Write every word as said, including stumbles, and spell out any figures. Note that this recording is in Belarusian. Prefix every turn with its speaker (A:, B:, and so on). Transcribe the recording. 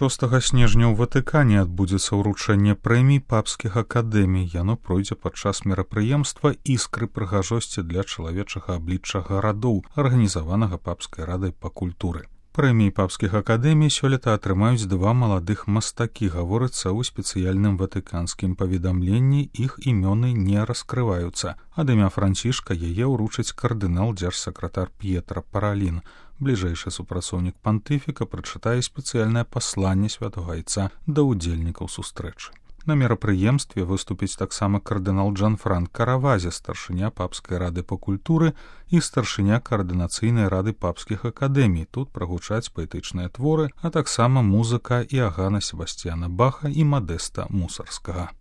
A: шостага снежня ў Ватыкане адбудзецца ўручэнне прэмій папскіх акадэмій. Яно пройдзе падчас мерапрыемства «Іскры прыгажосці для чалавечага аблічча гарадоў», арганізаванага папскай радай па культуры. Прэміі папскіх акадэмій сёлета атрымаюць два маладых мастакі, гаворыцца ў спецыяльным ватыканскім паведамленні, іх імёны не раскрываюцца. Ад імя Францішка яе ўручыць кардынал дзяржсакратар П'етра Паралін. Бліжэйшы супрацоўнік пантыфіка прачытае спецыяльнае пасланне святога айца да ўдзельнікаў сустрэчы. На мерапрыемстве выступіць таксама кардынал Джанфранк Каравазе, старшыня папскай рады па культуры і старшыня каардынацыйнай рады папскіх акадэмій. Тут прагучаць паэтычныя творы, а таксама музыка Іагана Себасцьяна Баха і Мадэста Мусарскага.